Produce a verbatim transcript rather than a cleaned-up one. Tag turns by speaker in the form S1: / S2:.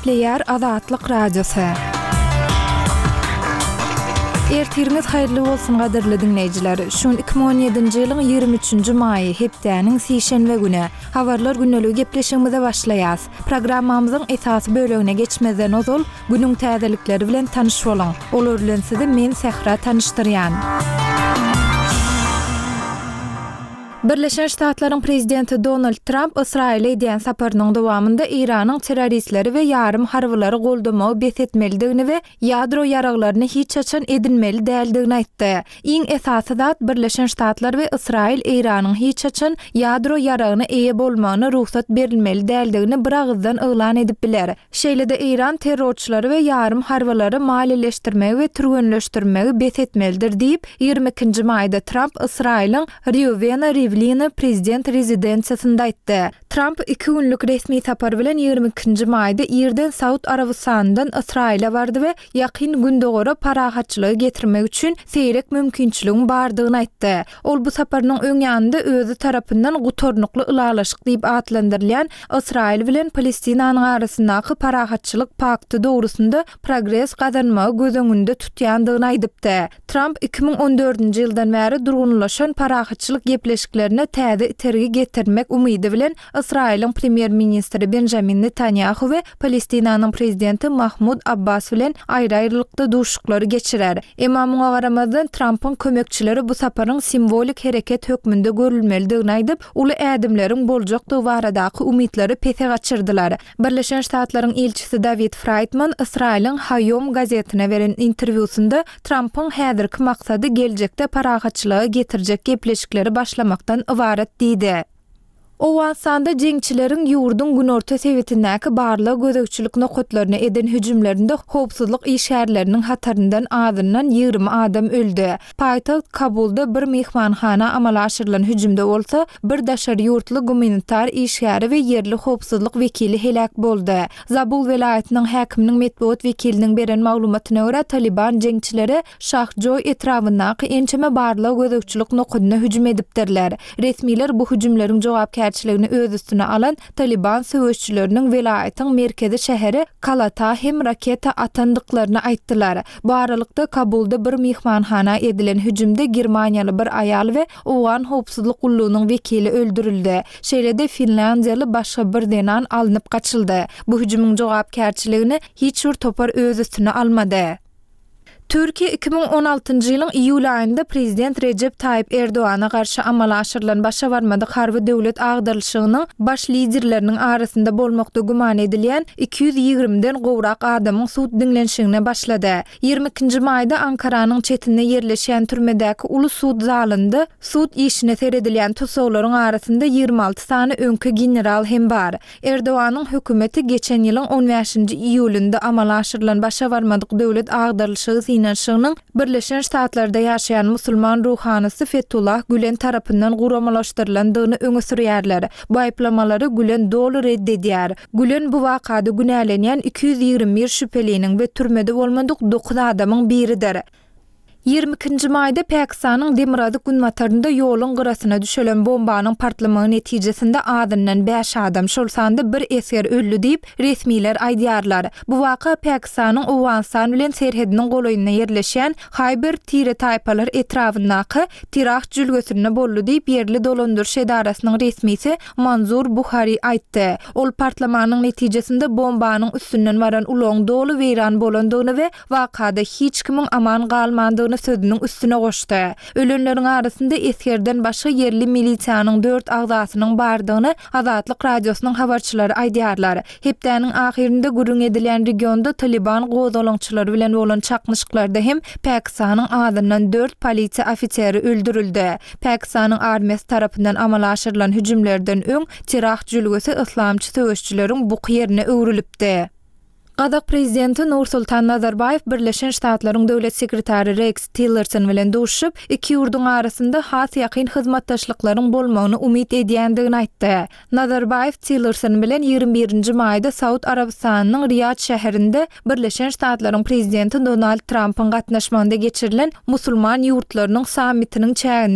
S1: Gepleýär Azatlyk Radiosy. Ertiriňiz haýyrly bolsun gadyrly diňleýjiler. Şu gün iki müň on ýedinji ýylyň ýigrimi üçünji maýy, hepdäniň sişenbe güni. Habarlar gündeligi gepleşigimize başlaýas. Programmamyzyň esasy bölegine geçmezden ozal, günüň täzelikleri bilen tanyş boluň. Olar bilen sizi men Sähra tanyşdyrýan. Birleşen Ştatlaryň prezidenti Donald Tramp Ysraýyla edýän saparynyň dowamynda Eýranyň terroristleri we ýarym harbylary goldamagy bes etmelidigini we ýadro ýaraglaryny hiç haçan edinmeli däldigini aýtdy. Iň esasy zat, Birleşen Ştatlar we Ysraýyl Eýranyň hiç haçan ýadro ýaragyna eýe bolmagyna rugsat berilmeli däldigini biragyzdan yglan edip biler. Şeýle-de Eýran terrorçylary we ýarym harbylary maliýeleşdirmegi we türgenleşdirmegi bes etmelidir diýip, ýigrimi ikinji maýda Tramp Ysraýylyň Rýuwena Riwlina prezident rezidensiýasynda aýtdy. Tramp iki günlük resmi sapar bilen ýigrimi ikinji maýda irden Saud Arabystanyndan Ysraýyla bardy we Ýakyn Gündogara parahatçylygy getirmek üçin seýrek mümkinçiligiň bardygyny aýtdy. Ol bu saparynyň öň ýanynda özi tarapyndan gutarnykly ylalaşyk diýip atlandyrylýan Ysraýyl bilen Palestinanyň arasyndaky parahatçylyk pakty dogrusynda progres gazanmagy göz öňünde tutýandygyny aýdypdy. Tramp iki müň on dördünji ýyldan bäri durgunlaşan parahatçylyk gepleşiklerine täze itergi getirmek umydy bilen Ysraýylyň premýer-ministri Benjamin Netanýahu we Palestinanyň prezidenti Mahmud Abbas bilen aýry-aýrylykda duşuşyklary geçirer. Emma muňa garamazdan, Trampyň kömekçileri bu saparyň simwolik hereket hökmünde görülmelidigini aýdyp, uly ädimleriň boljakdygy baradaky umytlary pese gaçyrdylar. Birleşen Ştatlaryň ilçisi Dawid Fraýdman Ysraýylyň Haýom gazetine beren interwýusynda Trampyň häzirki maksady geljekde parahatçylyga getirjek gepleşikleri başlamakdan ybarat diýdi. Owganystanda jeňçileriň ýurduň günorta sebitindäki barlag-gözegçilik nokatlaryna eden hüjümlerinde howpsuzlyk işgärleriniň hataryndan azyndan ýigrimi adam öldi. Paýtagt Kabulda bir myhmanhana amala aşyrylan hüjümde bolsa, bir daşary ýurtly gumanitar işgäri we ýerli howpsuzlyk wekili heläk boldy. Zabul welaýatynyň häkiminiň metbugat wekiliniň beren maglumatyna görä, Talyban jeňçileri Şahjoý etrabyndaky ençeme barlag-gözegçilik nokadyna hüjüm edipdirler. Resmiler bu hüjümleriň jogapkärçiligini öz üstüne alan Talyban söweşçileriniň welaýatyň merkezi şäheri Kalata hem raketa atandyklaryny aýtdylar. Bu aralykda, Kabulda bir myhmanhana edilen hüjümde germaniýaly bir aýal we owgan howpsuzlyk gullugynyň wekili öldürildi. Şeýle-de finlýandiýaly başga bir zenan alnyp gaçyldy. Bu hüjümiň jogapkärçiligini hiç bir topar öz üstüne almady. Türkiýe iki müň on altynjy ýylyň iýul aýynda prezident Rejep Taýyp Erdogana garşy amala aşyrylan başa barmadyk harby döwlet agdarylyşygynyň baş liderleriniň arasynda bolmakda güman edilýän iki ýüz ýigrimiden gowrak adamyň sud diňlenişigine başlady. Ýigrimi ikinji maýda Ankaranyň çetinde ýerleşýän türmedäki uly sud zalynda sud işine seredilýän tussaglaryň arasynda ýigrimi alty sany öňki general hem bar. Erdoganyň hökümeti geçen ýylyň on bäşinji iýulynda amala aşyrylan başa barmadyk döwlet agdarylyşygy synanyşygynyň Birleşen Ştatlarda ýaşaýan musulman ruhanysy Fetullah Gülen tarapyndan guramalaşdyrylandygyny öňe sürýärler. Bu aýyplamalary Gülen doly red edýär. Gülen bu wakada günälenýän iki ýüz ýigrimi bir şübheliniň we türmede bolmadyk dokuz adamyň biridir. Ýigrimi ikinji maýda Pakistanyň demirgazyk-günbatarynda ýoluň gyrasyna düşelen bombanyň partlamagy netijesinde azyndan bäş adam, şol sanda bir esger öldi diýip, resmiler aýdýarlar. Bu waka Pakistanyň Owganystan bilen serhediniň golaýynda ýerleşýän Haýber tire-taýpalar etrabyndaky Tirah jülgesinde boldy diýip, ýerli dolandyryş edarasynyň resmisi Manzur Buhari aýtdy. Ol partlamanyň netijesinde bombanyň üstünden baran ulagyň doly weýran bolandygyny we wakada hiç kimiň aman galmandygyny sözüniň üstüne goşdy. Ölenleriň arasynda esgerden başga ýerli milisiýanyň dört agzasynyň bardygyny Azatlyk Radiosynyň habarçylary aýdýarlar. Hepdäniň ahyrynda gürrüň edilýän regionda Talyban gozgalaňçylary bilen bolan çaknyşyklarda hem Pakistanyň azyndan dört polisiýa ofiseri öldürildi. Pakistanyň armiýasy tarapyndan amala aşyrylan hüjümlerden öň Tirah jülgesi yslamçy söweşçileriň buky ýerine öwrülipdi. Gazak prezidenti Nursultan Nazarbaýew Birleşen Ştatlaryň döwlet sekretary Reks Tillerson bilen duşuşyp, iki ýurduň arasynda has ýakyn hyzmatdaşlyklaryň bolmagyny umyt edýändigini aýtdy. Nazarbaýew Tillerson bilen ýigrimi birinji maýda Saud Arabystanynyň Riýad şäherinde Birleşen Ştatlaryň prezidenti Donald Trampyň gatnaşmagynda geçirilen musulman ýurtlarynyň sammitiniň çäginde